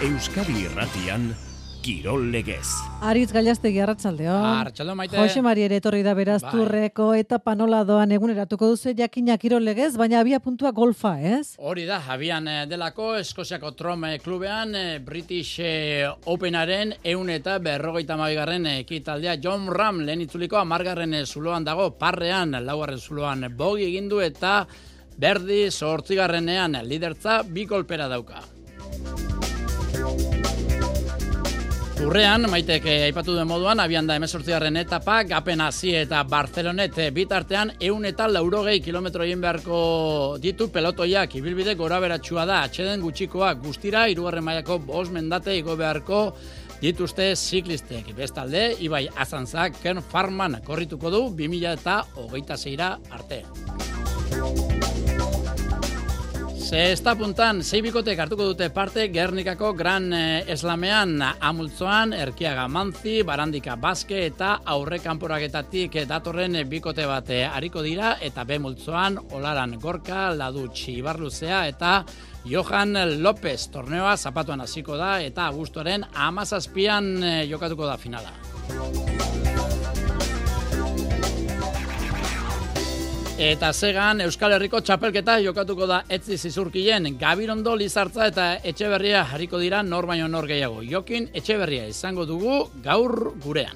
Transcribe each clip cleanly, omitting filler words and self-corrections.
Euskadi Irratian, Kirol Legez. Aritz Gailastegi, arratsaldeon. Arratsaldeon, Maite. Jose Mari ere etorri da Berazturreko etapa nola doan eguneratuko duzu jakina Kirol Legez, baina abia puntua golfa, ez? Hori da, abian delako Eskoziako Trom klubean British Openaren 150. Ekitaldea Jon Rahm lehen itzuliko 10. zuloan dago, parrean 4. zuloan bogi egin du eta berdi 8. lidertza 2 kolpera dauka. Urrean, Maitek aipatu den moduan, abian da 18. etapa, Gapen hasi eta Barcelonet bitartean 180 kilometro egin beharko ditu pelotoiak. Ibilbide goraberatsua da, atxeden gutxikoa guztira, 3. mailako 5 mendate igo beharko dituzte ziklistek. Bestalde, Ibai Azanzak Ken Farman korrituko du 2026 arte. Zesta puntan, 6 bikotek hartuko dute parte Gernikako Gran Eslamean, Amultzoan, Erkiaga Manzi, Barandika Baske eta aurre kanporaketatik datorren bikote bat hariko dira, eta B multzoan, Olaran Gorka, Ladutxi Ibarluzea eta Johan López torneoa zapatuan hasiko da eta abuztuaren 17an jokatuko da finala. Eta Segan Euskal Herriko txapelketa jokatuko da Etzi Zizurkilen, Gabirondo, Lizartza eta Etxeberria hariko dira nor baino nor gehiago. Jokin Etxeberria izango dugu gaur gurean.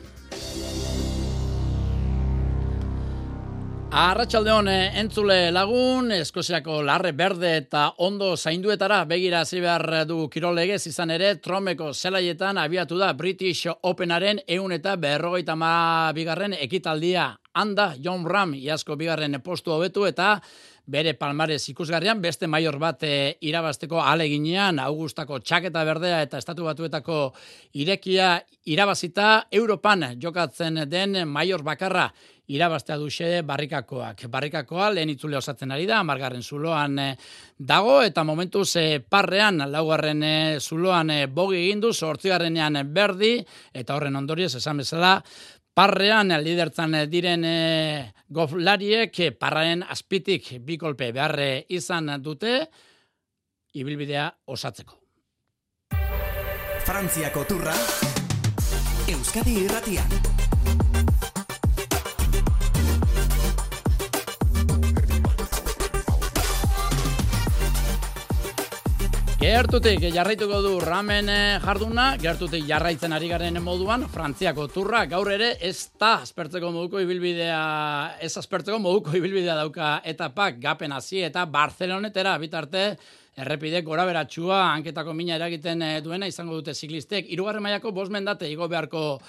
Arratsaldeon entzule lagun, Eskoziako larre berde eta ondo zainduetara begira hasi behar du Kirol Legez, izan ere Tromeko zelaietan abiatu da British Openaren 152. ekitaldia. Handa, Jon Rahm iazko 2. postu hobetu eta bere palmarez ikusgarrian beste maior bat irabazteko ahaleginean, Augustako txaketa berdea eta Estatu Batuetako irekia irabazita, Europan jokatzen den maior bakarra irabaztea duxe Barrikakoak. Barrikakoa lehen itzule osatzen ari da, 10. zuloan dago, eta momentuz parrean 4. zuloan bogi egin du, 8. berdi, eta horren ondorioz esan bezala, parrean lidertzan diren goflariek parraen azpitik 2 kolpe behar izan dute ibilbidea osatzeko. Frantziako turra, Euskadi Irratian. Gertutik jarraituko du Rahmen jarduna, gertutik jarraitzen ari garen moduan, Frantziako turra gaur ere ez aspertzeko moduko ibilbidea dauka etapak, Gapen hasi eta Barcelonetera bitarte errepide goraberatsua hanketako mina eragiten duena izango dute ziklistek. 3. mailako 5 mendate igo beharko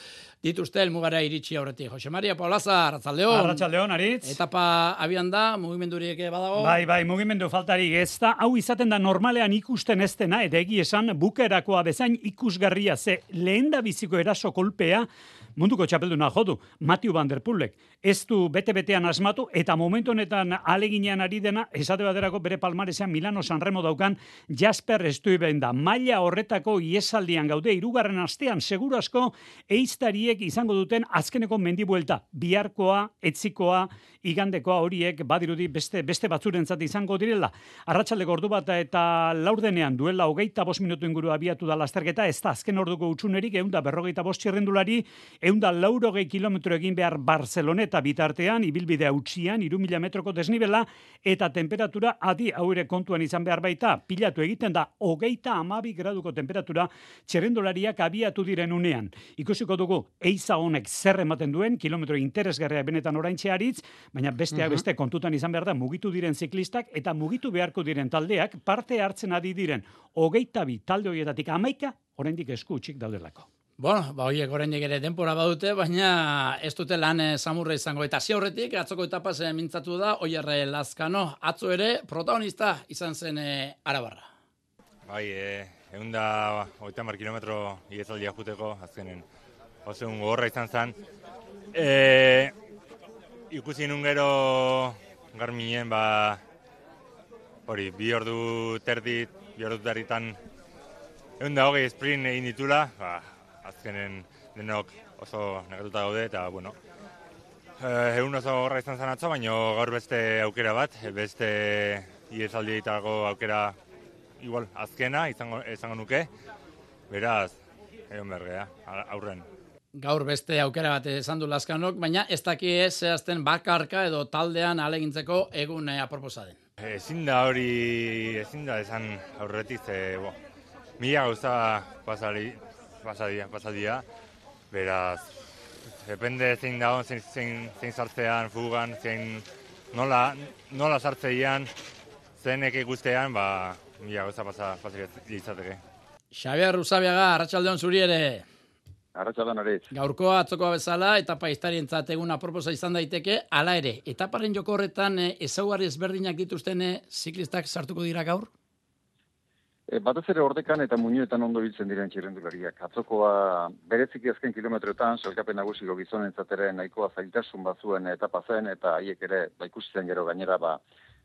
dituzte helmugara iritsi aurretik. Jose Maria Paulaza, arratsaldeon. Arratsaldeon, Aritz. Etapa abian da, mugimendurik badago? Bai, mugimendu faltarik ez da. Hau izaten da normalean ikusten ez dena, eta egi esan bukerakoa bezain ikusgarria ze lehen da biziko eraso kolpea munduko txapelduna jodu, Mathieu van der Poelek. Ez du bete-betean asmatu, eta momentu honetan aleginean ari dena, esate baterako bere palmaresean Milano Sanremo daukan Jasper Stuyven da. Maila horretako iesaldian gaude, 3. astean seguru asko eiztariek izango duten azkeneko mendibuelta. Biharkoa, etzikoa, igandekoa horiek badirudi beste batzurentzat izango direla. Arratsaldeko ordu bat eta laurdenean duela 25 minutu inguru abiatu da lasterketa, ez da azken orduko utzunerik 145 txirrendulari, 180 kilometro egin behar Barceloneta bitartean, ibilbidea utzian, 3.000 metroko desnibela, eta temperatura adi haure kontuan izan behar baita, pilatu egiten da 32 graduko temperatura txirrendulariak abiatu diren unean. Ikusiko dugu, eiza honek zer ematen duen, kilometro interesgarria benetan oraintxe Aritz, baina besteak beste kontutan izan behar da mugitu diren ziklistak eta mugitu beharko diren taldeak parte hartzen ari diren 22 talde horietatik 11 oraindik esku utzik daudelako. Bueno, horiek oraindik ere denbora badute, baina ez dute lan samurra izango. Eta hasi aurretik, atzoko etapaz mintzatu da, Oier Lazkano, atzo ere protagonista izan zen Arabarra. Bai, 130 kilometro iezaldia juteko, azkenen oso gogorra izan zen. Ikusi nun gero Garminen, hori, 2 ordu terditan 120 sprint egin ditula, azkenen denok oso negatuta gaude, eta, bueno, egun oso gorra izan zen atzo, baina gaur beste aukera bat, beste iezaldi egitako aukera igual azkena izango nuke, Beraz, egon bergea, aurren. Gaur beste aukera bat esan du Lazkanok, baina ez daki zehazten bakarka edo taldean alegintzeko egun aproposa den. Ezin da esan aurretik, mila gauza pasadia, beraz, depende zein dagoen, zein sartzean, fugan, nola sartzeian, zeinek ikustean, mila gauza pasadia izateke. Xabier Usabiaga, arratsaldeon zuri ere. Arratsaldeon hori. Gaurkoa atzokoa bezala, etapa historientzat egun aproposa izan daiteke, hala ere, etaparen joko horretan ezaugarri ezberdinak dituzten ziklistak sartuko dira gaur? Batez ere ordekan eta muinuetan ondo biltzen diren txirrendulariak. Atzokoa bereziki azken kilometroetan, sailkapen nagusiko gizonentzat ere nahikoa zailtasun bazuen etapa zen, eta haiek ere ikusi zen gero gainera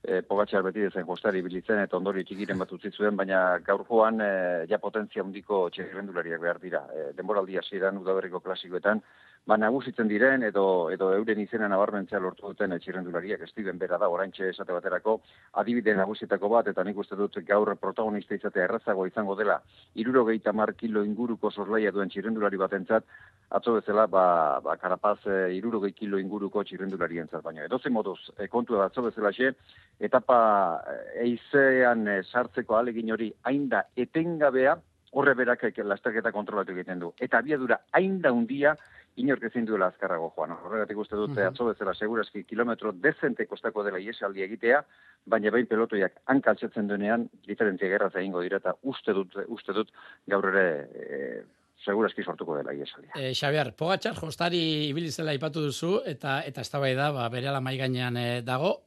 Pogačar beti dezen jostari bilitzen eta ondori txikiren bat utzi zuen, baina gaurkoan ja potentzia handiko txirrendulariak behar dira. Denboraldi hasieran udaberriko klasikoetan, nagusitzen diren edo euren izena nabarmentzea lortu duten txirrendulariak. Steven bera da, oraintxe esate baterako, adibide nagusietako bat, eta nik uste dut gaur protagonista izatea errazago izango dela, 70 kilo inguruko zorlaia duen txirrendulari batentzat, atzo bezala, Carapaz 60 kilo inguruko txirrendularientzat, baina edozein moduz, kontua atzo bezala etapa eizean sartzeko ahalegin hori hain da etengabea, horre berak lasterketa kontrolatu egiten du. Eta abiadura hain da hundia, inork ezin duela azkarrago joan. Horregatik uste dut, atzo bezala segurazki kilometro dezente kostako dela iesaldi egitea, baina behin pelotoiak hankaltzetzen duenean, diferentzia gerraz egingo dira, eta uste dut gaur ere segurazki sortuko dela iesaldia. Xabier, Pogačar jostari ibili zela aipatu duzu, eta eztabaida berehala mahai gainean dago.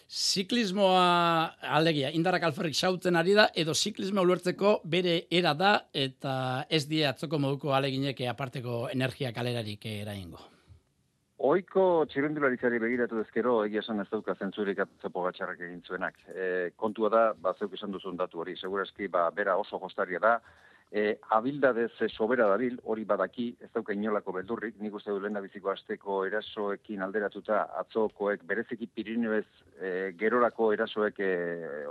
Ziklismoa alegia, indarrak alferrik xautzen ari da, edo ziklismoa ulertzeko bere era da, eta ez die atzoko moduko aleginek aparteko energia kalerarik eraingo. Oiko txirrendularitzari begiratu ezkero, egia esan ez dauka zentzurik atzo Pogačarrak egin zuenak. Kontua da, zeuk esan duzun datu hori, segurazki bera oso jostaria da, abildadez sobera dabil, hori badaki, ez dauka inolako beldurrik, nik uste du lehendabiziko asteko erasoekin alderatuta atzokoek bereziki Pirineoez gerorako erasoek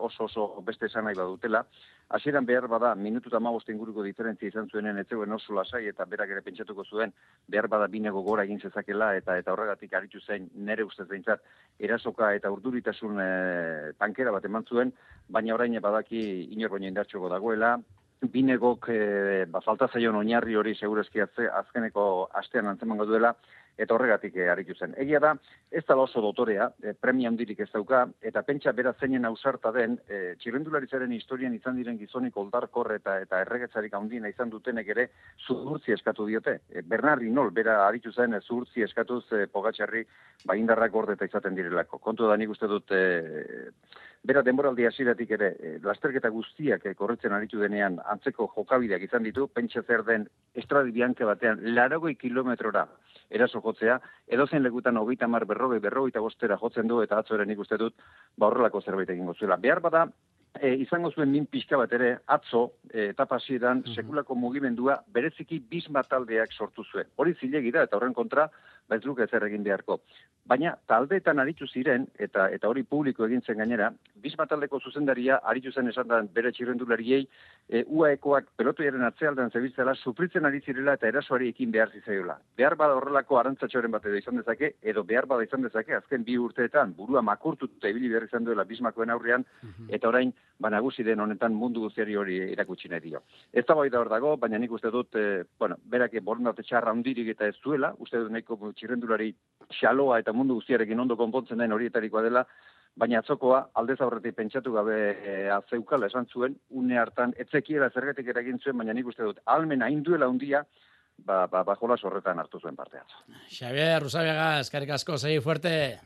oso beste esan nahi badutela. Hasieran behar bada, minutu eta 15 inguruko diferentzia izan zuenen etzeuen oso lasai eta berak ere pentsatuko zuen, behar bada binego gora egin zezakela eta horregatik aritu zen nere ustez behintzat erasoka eta urduritasun tankera bat eman zuen, baina orain badaki inor baino indartxoko dagoela, binegok falta zaion oinarri hori segurazki azkeneko astean antzemango duela, eta horregatik aritu zen. Egia da, ez da oso dotorea, premia handirik ez dauka, eta pentsa bera zeinen ausarta den, txirrendularitzaren historian izan diren gizonik oldarkor eta erregetzarik handina izan dutenek ere zuhurtzi eskatu diote. Bernard Hinault bera aritu zen zuhurtzi eskatuz Pogačarri indarrak gordeta izaten direlako. Kontu da nik uste dut bera denboraldi hasieratik ere lasterketa guztiak korritzen aritu denean antzeko jokabideak izan ditu, pentsa zer den Estradi Bianche batean 80 kilometrora eraso jotzea, edozein lekutan 30, 40, 45 jotzen du, eta atzo ere nik uste dut horrelako zerbait egingo zuela. Behar bada, izango zuen min pixka bat ere, atzo, etapa hasieran sekulako mugimendua bereziki Bisma taldeak sortu zuen. Hori zilegi da, eta horren kontra, ez luke ezer egin beharko. Baina taldeetan aritu ziren, eta hori publiko egin zen gainera, Bisma taldeko zuzendaria aritu zen esan da bere txirrendulariei, UAEkoak pelotoiaren atzealdean zebiltzela sufritzen ari zirela eta erasoari ekin behar zizaiola. Behar bada horrelako arantzatxoren bat edo izan dezake, edo behar bada izan dezake, azken 2 urteetan burua makurtuta ibili behar izan duela Bismakoen aurrean, eta orain nagusi den honetan mundu guztiari hori erakutsi nahi dio. Ez da bai da hor dago, baina nik uste dut, berak borondate txarra handirik eta ez duela, uste dut nahiko txirrendulari xaloa eta mundu guztiarekin ondo konpontzen den horietarikoa dela, baina atzokoa aldez aurretik pentsatu gabe zeukala esan zuen, une hartan etzekiela zergatik eragin zuen, baina nik uste dut almen hain duela handia, jolas horretan hartu zuen parte atzo. Xabier Usabiaga, eskerrik asko, segi fuerte.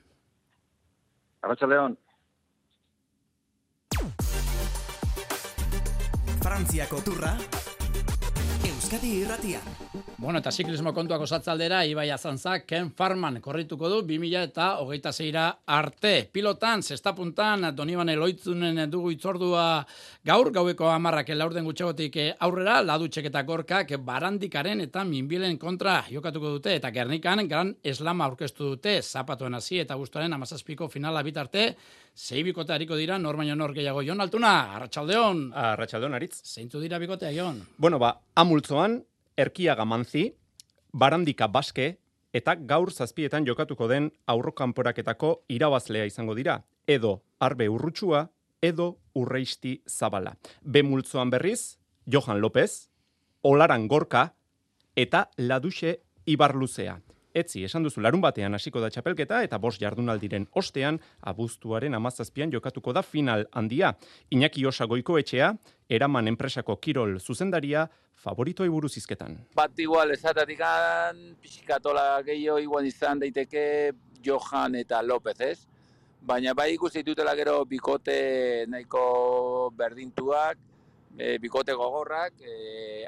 Arratsaldeon. Frantziako turra, Euskadi irratian. Bueno, eta ziklismo kontuak osatzaldera, Ibai Azantzak Ken Farman korrituko du 2026 arte. Pilotan, zestapuntan, Donibane Loitzunen dugu itzordua gaur, gaueko 10 laurden gutxegotik aurrera, Ladutxek eta Gorkak Barandikaren eta Minbilen kontra jokatuko dute, eta Gernikan Gran Eslama aurkeztu dute, zapatuen hasi eta guztuaren 17ko finala bitarte, sei bikote hariko dira, nor baino nor gehiago. Jon Altuna, Arratsaldeon. Arratsaldeon, Aritz. Zeintzu dira bikotea, Jon? Bueno, Amultzoan, Erkiaga Manzi, Barandika Baske, eta gaur 7etan jokatuko den aurrokanporaketako irabazlea izango dira, edo Arbe Urrutsua, edo Urreisti Zabala. B multzoan berriz, Johan López, Olaran Gorka, eta Laduxe Ibarluzea. Etzi, esan duzu, larun batean hasiko da txapelketa eta 5 jardunaldiren ostean, abuztuaren 17an jokatuko da final handia. Iñaki Osa Goikoetxea, Eraman enpresako kirol zuzendaria, favoritoei buruz hizketan. Bat igual esatatikan, pixikatola gehiago igual izan daiteke Johan eta López, ez? Baina bai ikusi ditutela gero bikote nahiko berdintuak, bikote gogorrak,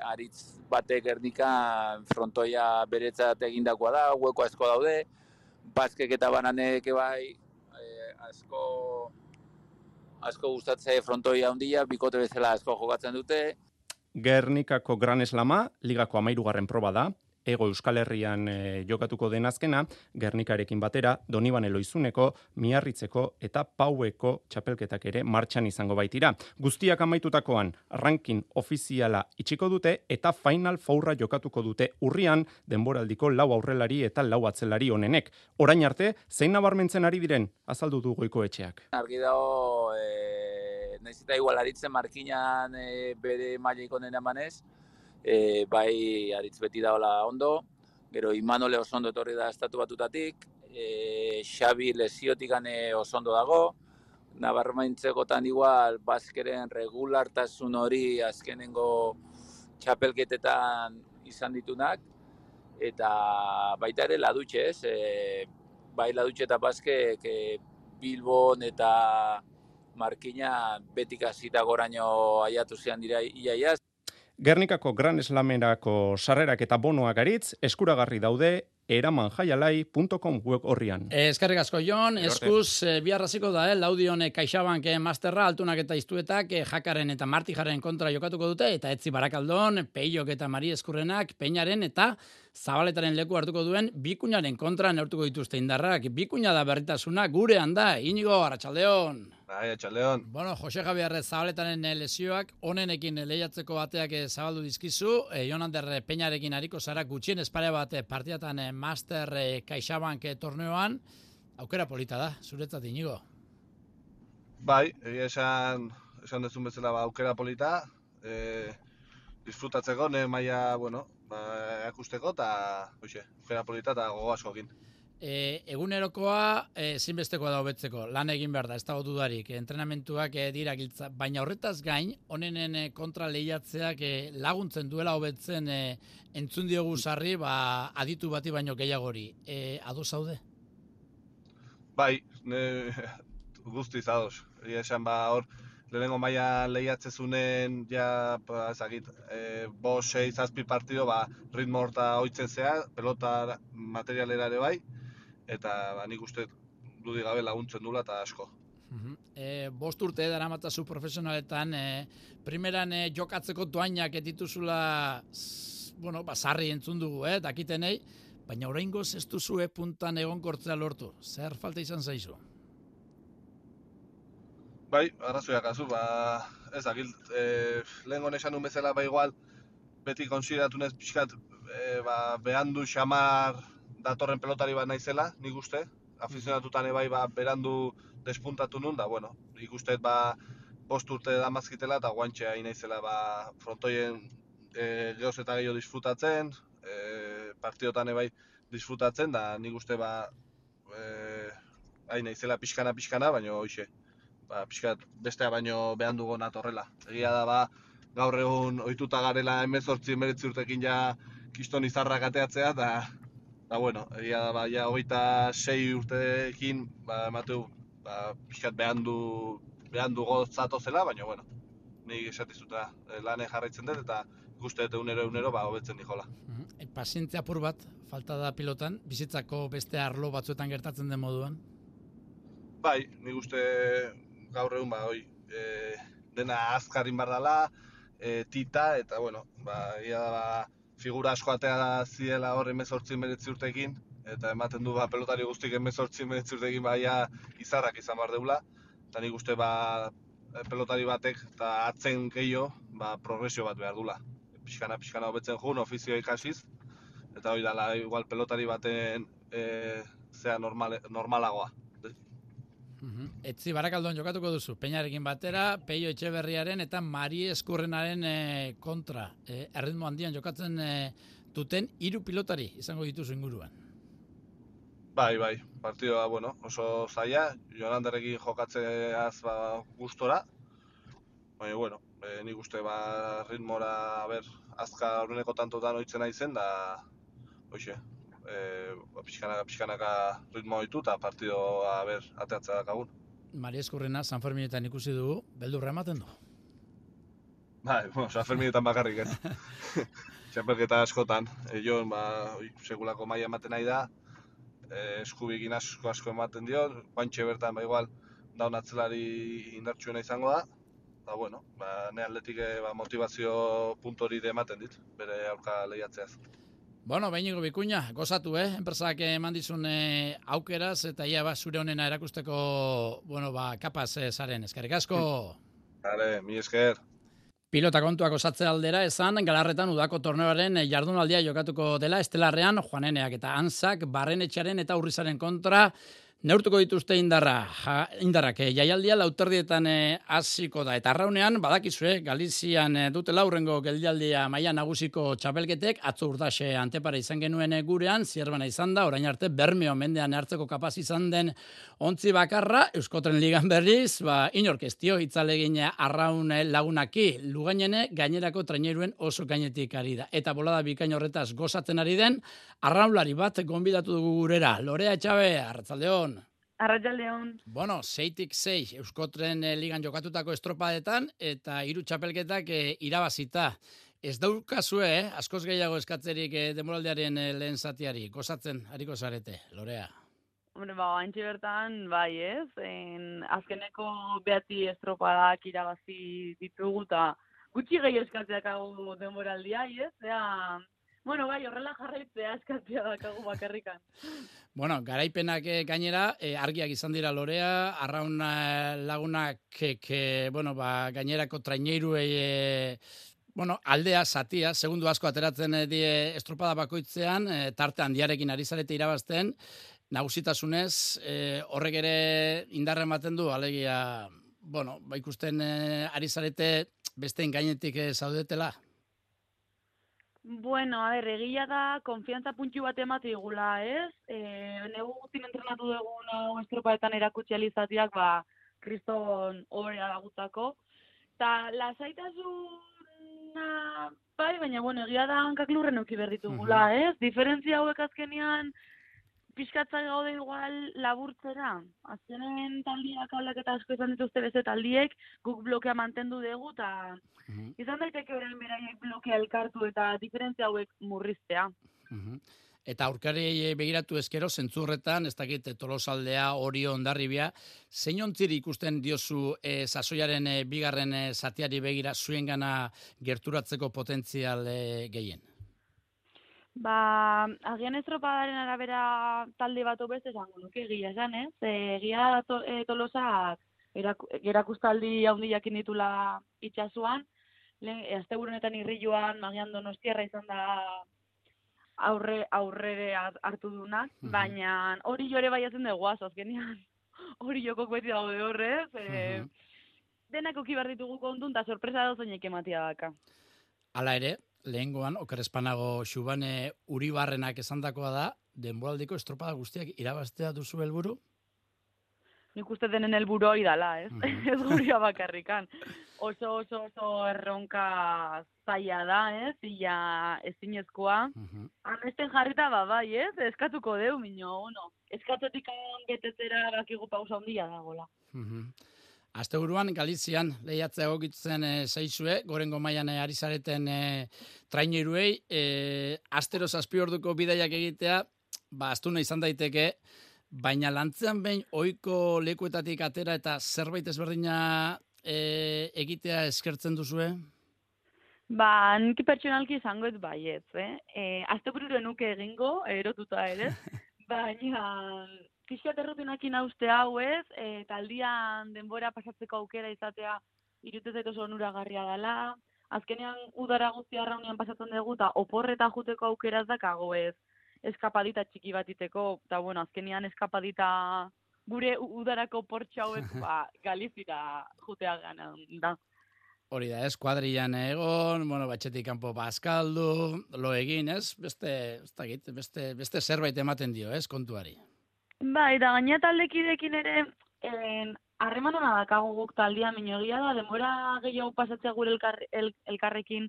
Aritz batek Gernikan frontoia beretzat egindakoa da, hueko asko daude, Baskek eta Bananek bai asko gustatze frontoia handia, bikote bezala asko jokatzen dute. Gernikako Gran Slama, ligako 13. proba da, Ego Euskal Herrian jokatuko den azkena, Gernikarekin batera, Donibane Loizuneko, Miarritzeko eta Paueko txapelketak ere martxan izango baitira. Guztiak amaitutakoan, ranking ofiziala itxiko dute eta Final Fourra jokatuko dute urrian, denboraldiko 4 aurrelari eta 4 atzelari onenek. Orain arte, zein nabarmentzen ari diren, azaldu du Goikoetxeak. Argi dago, nahiz eta igual Aritzen markinan bere mailaiko nena emanez, bai Aritz beti daola ondo, gero Imanole oso ondo etorri da Estatu Batutatik, Xabi lesiotik oso ondo dago, nabarmentzekotan igual Baskeren regulartasun hori azkenengo txapelketetan izan ditunak, eta baita ere Ladutxe, ez? Bai Ladutxe eta Baskek Bilbon eta Markina betik hasita goraino aiatu zian dira iaia. Gernikako Gran Slamerako sarrerak eta bonoak Aritz, eskuragarri daude eramanjaialai.com web horrian. Eskerrik asko, Jon. Eskuz, biharraziko da, Laudion CaixaBank Masterra, Altunak eta Iztuetak, Jakaren eta Martijaren kontra jokatuko dute, eta Etzi Barakaldon, Peiok eta Mari Eskurrenak, Peñaren eta Zabaletaren leku hartuko duen Bikuñaren kontra neurtuko dituzte indarrak. Bikuña da berritasuna gurean da, Inigo, Arratsaldeon. Bai, Arratsaldeon. Bueno, Jose Javier Zabaletaren lesioak onenekin lehiatzeko bateak zabaldu dizkizu, Jon Ander Peñarekin hariko zara gutxien espare bat partidatan Master CaixaBank torneoan, aukera polita da, zuretzat Inigo. Bai, esan dezun bezala aukera polita, disfrutatzeko, maila, akusteko, eta aukera polita eta gogo askokin. Egunerokoa ezinbestekoa da hobetzeko, lan egin behar da, ez dago dudarik, entrenamentuak dira giltza, baina horretaz gain, honenen kontra lehiatzeak laguntzen duela hobetzen entzun diogu sarri, aditu bati baino gehiagori. Ados zaude? Bai, guztiz ados. Esan hor, lehenengo maila lehiatzezunen, ja, ezagit, 5, 6, 7 partido, ritmo horta oitzen zea, pelota materialera ere bai, eta nik uste dudik gabe laguntzen dula eta asko. 5 urte daramatzazu profesionaletan, primeran jokatzeko doainak dituzula, sarri entzun dugu, dakitenei, baina oraingoz ez duzue puntan egonkortzea lortu. Zer falta izan zaizu? Bai, arrazoiak azu, ez dakil, lehen esan nun bezala igual, beti konsideratunez pixkat, behandu xamar datorren pelotari bat naizela, nik uste, afizionatutan bai berandu despuntatu nun, da, nik uste 5 urte damazkitela eta guantxea naizela frontoien gehoz eta gehiago disfrutatzen, partidotan bai disfrutatzen, da nik uste naizela pixkana, baina hoxe, pixkat bestea baino behandu gonat horrela. Egia da, gaur egun ohituta garela 18-19 urtekin ja kiston izarrak ateatzea, egia da, ja 26 urtekin, emateu, pixkat behandu gozatozela, baina, nik esatizuta lane jarraitzen dut, eta guzti eta unero hobetzen dijola. Pazientzia apur bat, falta da pilotan, bizitzako beste arlo batzuetan gertatzen den moduan? Bai, nik uste gaur egun, dena azkarin bardala, tita, eta, egia da, figura asko atea ziela hor 18-19 urtekin, eta ematen du pelotari guztik 18-19 urtekin izarrak izan behar deula, eta nik uste pelotari batek eta atzen gehiago progresio bat behar dula. Pixkana hobetzen jun, ofizioa ikasiz, eta hori dala igual pelotari baten zea normalagoa. Etzi Barakaldon jokatuko duzu, Peñarekin batera, Peio Etxeberriaren eta Mari Eskurrenaren kontra. Erritmo handian jokatzen duten 3 pilotari izango dituzu inguruan. Bai, partidoa, oso zaila, Jonanderrekin jokatzeaz gustora, baina, nik uste ritmora, azka aurreneko tantotan oitzen naizen, da, pixkanaka ritmo ditu eta partidoa ateatzea dakagun. Mari Eskurrena San Ferminetan ikusi dugu, beldurra ematen du. Bai, San Ferminetan bakarrik ez. Txapelketa askotan, Jon, segulako maila ematen nahi da, eskubikin asko ematen dio, guantxe bertan, igual, daun atzelari indartsuena izango da, ne atletik motivazio puntori ematen dit, bere aurka lehiatzeaz. Bueno, Iñigo Bikuña, gozatu, enpresak eman dizun aukeraz, eta ia zure honena erakusteko, kapaz zaren, eskerrik asko. Hale, mi esker. Pilota kontuak osatze aldera esan, Galarretan udako torneoaren jardunaldia jokatuko dela, Estelarrean, Juaneneak eta Anzak, Barrenetxearen eta Urrizaren kontra, neurtuko dituzte indarrak. Jaialdia lauterdietan hasiko da. Eta arraunean, badakizue, Galizian dutela hurrengo geldialdia maila nagusiko txapelketek, atzo Urdaxe Antepara izan genuen gurean, Zierbana izan da, orain arte Bermeo mendean hartzeko kapaz izan den ontzi bakarra, Euskotren Ligan berriz, inork ez dio hitzalegin arraun lagunaki, Lugainene gainerako traineruen oso gainetik ari da. Eta bolada bikain horretaz gozatzen ari den, arraunlari bat gonbidatu dugu gurera. Lorea Etxabe, arratsaldeon. Arratsaldeon. 6-6 Euskotren Ligan jokatutako estropadetan eta 3 txapelketak irabazita. Ez daukazue, askoz gehiago eskatzerik denboraldiaren lehen zatiari. Gozatzen hariko zarete, Lorea. Hombre, haintxe bertan, bai ez. Azkeneko 9 estropadak irabazi ditugu eta gutxi gehi eskatzeak hau denboraldia, ez? Bai, horrela jarraitzea eskatzea dakagu bakarrikan. Garaipenak gainera, argiak izan dira Lorea, arraun lagunak, gainerako traineruei, aldea, zatia, segundu asko ateratzen die estropada bakoitzean, tarte handiarekin ari zarete irabazten, nagusitasunez, horrek ere indarra ematen du, alegia, ikusten ari zarete besteen gainetik zaudetela. Egia da, konfiantza puntu bat emate igula, ez? Negu guztin entrenatu dugun estropaetan erakutsi alizatiak, kriston obrea dagutako. Ta lasaitasuna, baina, egia da hankak lurren euki berditugula, ez? Diferentzia hauek azkenean, pixkatzai gaude igual laburtzera. Azkenen taldiak aldaketa asko izan dituzte beste taldiek, guk blokea mantendu dugu, eta izan daiteke orain beraiek blokea elkartu eta diferentzia hauek murriztea. Eta aurkari begiratu ezkero, zentzurretan, ez dakit Tolosaldea, Orio, Hondarribia, zein ontziri ikusten diozu sasoiaren bigarren zatiari begira zuengana gerturatzeko potentzial gehien? Agian estropadaren arabera talde bat obez esango nuke egia esan, ez? Egia Tolosak erakustaldi handi jakin ditula itxasuan, asteburunetan Irriloan, Magian Donostiarra izan da aurrere hartu dunak, baina hori jore baiatzen dugu azkenean. Hori jokok beti daude horrez, denak uki behar ditugu kontun, eta sorpresa dozainek ematia daka. Hala ere, lehengoan, Oker Espanago Xubane Uribarrenak esandakoa da, denboraldiko estropada guztiak irabaztea duzu helburu? Nik uste denen helburu hori dala, ez? Ez guria bakarrikan. Oso erronka zaila da, ez? Ia ezinezkoa. Amesten jarrita bai, ez? Eskatuko deu, eskatzetik betetzera bakigu pausa handia dagoela. Asteburuan Galizian lehiatzea egokitzen zaizue, gorengo mailan ari zareten traineruei, astero 7 orduko bidaiak egitea, astuna izan daiteke, baina lantzean behin ohiko lekuetatik atera eta zerbait ezberdina egitea eskertzen duzue? Nik pertsonalki izango ez baietz, Astebururo nuke egingo, erotuta ere, baina pixkat errutinakin hauste hau ez, taldian denbora pasatzeko aukera izatea irutez zait oso onuragarria dela. Azkenean udara guztia arraunean pasatzen dugu, eta oporreta juteko aukeraz dakago ez, eskapadita txiki bat iteko, eta bueno, azkenean eskapadita gure udarako portxe hauek Galizira jutea gana da. Hori da, ez, kuadrilan egon, bueno, batxetik kanpo bazkaldu, lo egin, ez? Beste zerbait ematen dio, ez, kontuari. Bai, eta gaina taldekidekin ere, harreman hona dakago guk taldea minogia da, denbora gehiago pasatzea gure elkarrekin,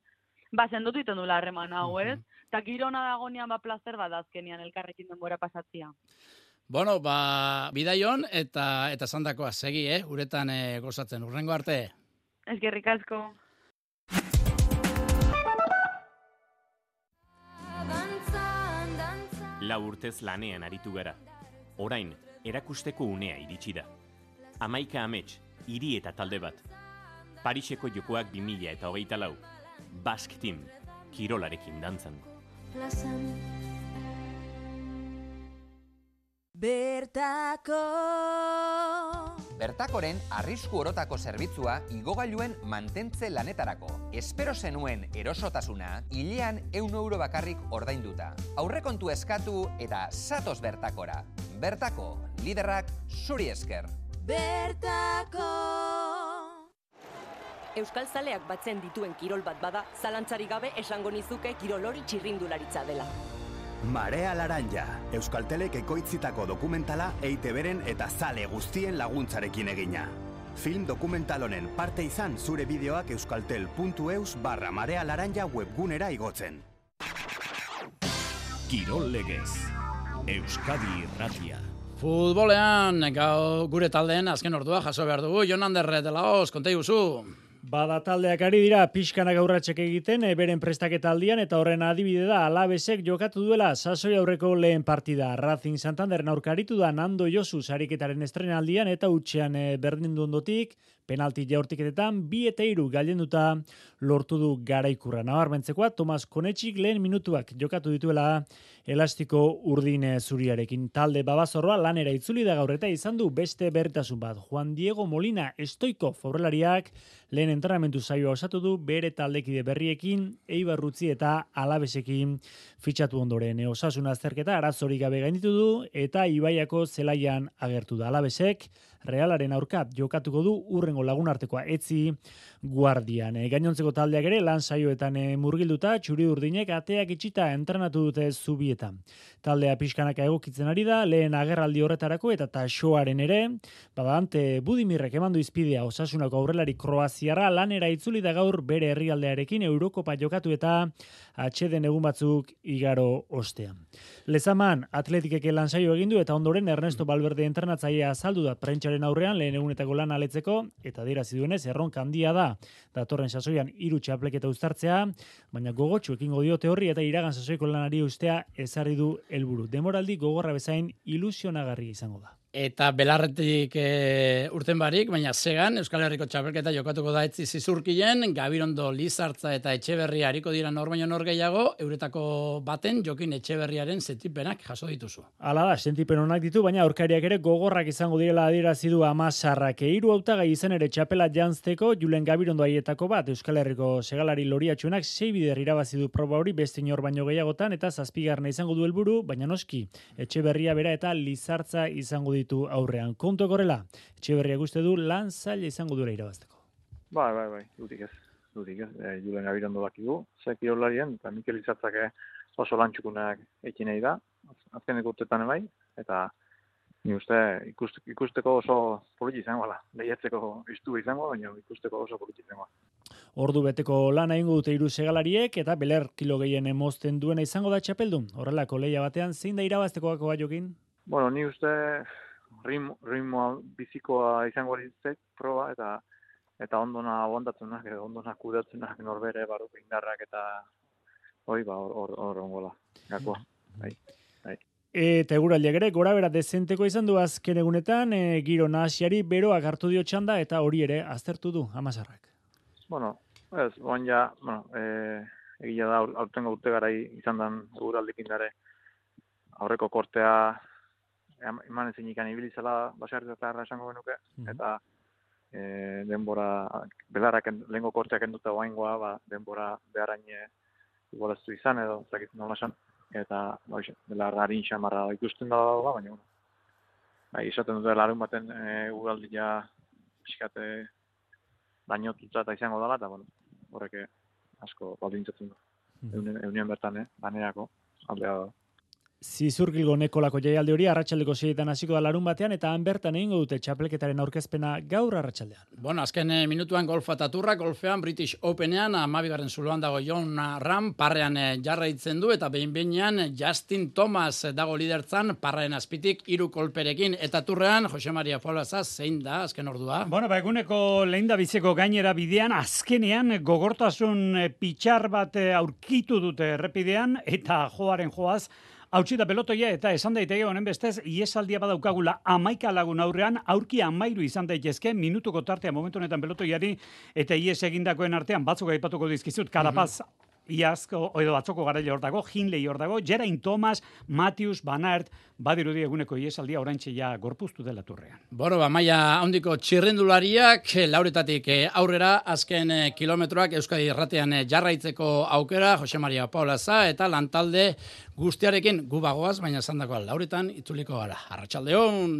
sendotu iten dula harreman hau, ez? Eta giro hona dagonean plazer bat azkenean elkarrekin denbora pasatzea. Bueno, bidaion eta zandakoa, segi, uretan gozatzen, urrengo arte. Eskerrik asko. Lau urtez lanean aritu gara. Orain, erakusteko unea iritsi da. 11 amets, hiri eta talde bat. Pariseko jokoak 2024. Basque Team, kirolarekin dantzan. Bertakoren arrisku orotako zerbitzua igogailuen mantentze lanetarako. Espero zenuen erosotasuna, hilean €100 bakarrik ordainduta. Aurrekontu eskatu eta zatoz Bertakora. Bertako, liderrak zuri esker. Bertako! Euskal Zaleak batzen dituen kirol bat bada, zalantzarik gabe esango nizuke kirol hori txirrindularitza dela. Marea Laranja, Euskaltelek ekoitzitako dokumentala EITB-ren eta zale guztien laguntzarekin egina. Film dokumental honen parte izan zure bideoak euskaltel.eus/Marea Laranja webgunera igotzen. Kirol legez, Euskadi Irratia. Futbolean, gure taldeen azken ordua jaso behar dugu. Jon Ander de la Hoz, konta iguzu. Bada taldeak ari dira pixkanak aurratxek egiten, beren prestaketa aldian, eta horren adibide da Alavesek jokatu duela sasoi aurreko lehen partida. Racing Santanderen aurka aritu da Nando Josu sariketaren estrenaldian, eta utxean berdindu ondotik, penalti jaurtiketetan 2-3 gailenduta lortu du garaikurra. Nabarmentzekoa, Tomas Konetxik lehen minutuak jokatu dituela elastiko urdin zuriarekin. Talde babazorroa lanera itzuli da gaur eta izan du beste berritasun bat. Juan Diego Molina Stoikov aurrelariak lehen entrenamentu saioa osatu du bere taldekide berriekin, Eibarrutzi eta Alabesekin fitxatu ondoren. Osasun azterketa arazorik gabe gainditu du eta Ibaiako zelaian agertu da. Alabesek Realaren aurka jokatuko du urrengo lagunartekoa etzi Guardian. Gainontzeko taldeak ere lan saioetan murgilduta, txuri urdinek ateak itxita entrenatu dute zubietan. Taldea pixkanaka egokitzen ari da, lehen agerraldi horretarako eta taxoaren ere, badante Budimirrek emandu izpidea Osasunako aurrelari Kroaziarra lanera itzuli da gaur bere herrialdearekin Eurokopa jokatu eta atxeden egun batzuk igaro ostean. Lezaman Atletikek lan saio egin du eta ondoren Ernesto Valverde entrenatzailea azaldu da prentsaren aurrean lehen egunetako lan aletzeko eta adierazi duenez erronka handia da datorren sasoian 3 txapleketa uztartzea, baina gogotsu ekingo diote horri eta iragan sasoiko lanari ustea ezarri du helburu. Demoraldi gogorra bezain ilusionagarria izango da. Eta belarretik urten barik, baina zegan, Euskal Herriko txapelketa jokatuko da etzi zizurkien, Gabirondo, Lizartza eta Etxeberria hariko dira nor baino nor gehiago, euretako baten Jokin Etxeberriaren sentipenak jaso dituzu. Hala da, sentipen onak ditu, baina aurkariak ere gogorrak izango direla adierazi du Amasarrak. 3 hautagai izan ere txapela janzteko, Julen Gabirondo haietako bat, Euskal Herriko segalari loriatxuenak 6 bider irabazi du proba hori beste inor baino gehiagotan, eta 7. izango du helburu, baina noski, Etxeberria bera eta Lizartza izango ditu aurrean. Kontu korrela, Etxeberriak uste du lan zaila izango dura irabazteko. Bai, dutik ez. Julen Gabirondo dakigu, zekirolarien, eta Mikel Lizartzak oso lantxukunak ekin nahi da, azkeneko urtetan bai, eta ni uste ikusteko oso politi izango da. Lehiatzeko iztu izango, baina ikusteko oso politi izango. Ordu beteko lana egingo dute 3 segalariek eta beler kilo gehien mozten duena izango da txapeldun. Horrelako lehia batean zein da irabaztekoako Jokin? Bueno, ni uste ritmoa bizikoa izango ditzek proba eta ondona aguantatzenak edo ondona kudatzenak norbere barruko indarrak eta hor ongola. Gakoa. Bai. Eta eguraldiak ere gora bera dezenteko izan du azken egunetan, giro nahasiari beroak hartu dio txanda eta hori ere aztertu du Amasarrak. Bueno, egia da aurtengo urte garai izan dan eguraldikin dare aurreko kortea eman ezin ikan ibilizela baserritarra esango genuke, eta denbora, belarrak lehenko korteak enduta oaingoa, denbora beharaine igualaztu izan edo, zakit nola esan, eta belarra harin xamarra ikusten da, baina, izaten dute larun baten ugaldia pixkate dañotuta eta izango dela, eta horrek asko baldintzatzen du. Eunien bertan, banerako, aldea da. Zizurgilgo Nekolako jaialdi hori arratsaldeko 6etan hasiko da larun batean, eta han bertan egingo dute txapelketaren aurkezpena gaur arratsaldean. Bueno, azken minutuan golfa eta turra, golfean British Openean, 12. zuloan dago Jon Rahm, parrean jarraitzen du, eta behin-behinean Justin Thomas dago lidertzan, parraren azpitik 3 kolperekin, eta turrean Jose Maria Paulaza zein da azken ordua? Bueno, eguneko lehendabiziko gainera bidean, azkenean gogortasun pitxar bat aurkitu dute errepidean, eta joaren joaz, hautsi da pelotoia eta esan daiteke honen bestez iesaldia badaukagula 11 lagun aurrean aurki 13 izan daitezke minutuko tartea momentu honetan pelotoiari eta ies egindakoen artean batzuk aipatuko dizkizut Carapaz iazko edo batzoko garaile hor dago, Hindley hor dago, Geraint Thomas, Matthews, Van Aert, badirudi eguneko iesaldia oraintxe ja gorpuztu dela turrean. Bueno, maila handiko txirrindulariak lauretatik aurrera azken kilometroak Euskadi Irratian jarraitzeko aukera, Jose Maria Paulaza eta lantalde guztiarekin gu bagoaz, baina esandakoa lauretan itzuliko gara. Arratsaldeon.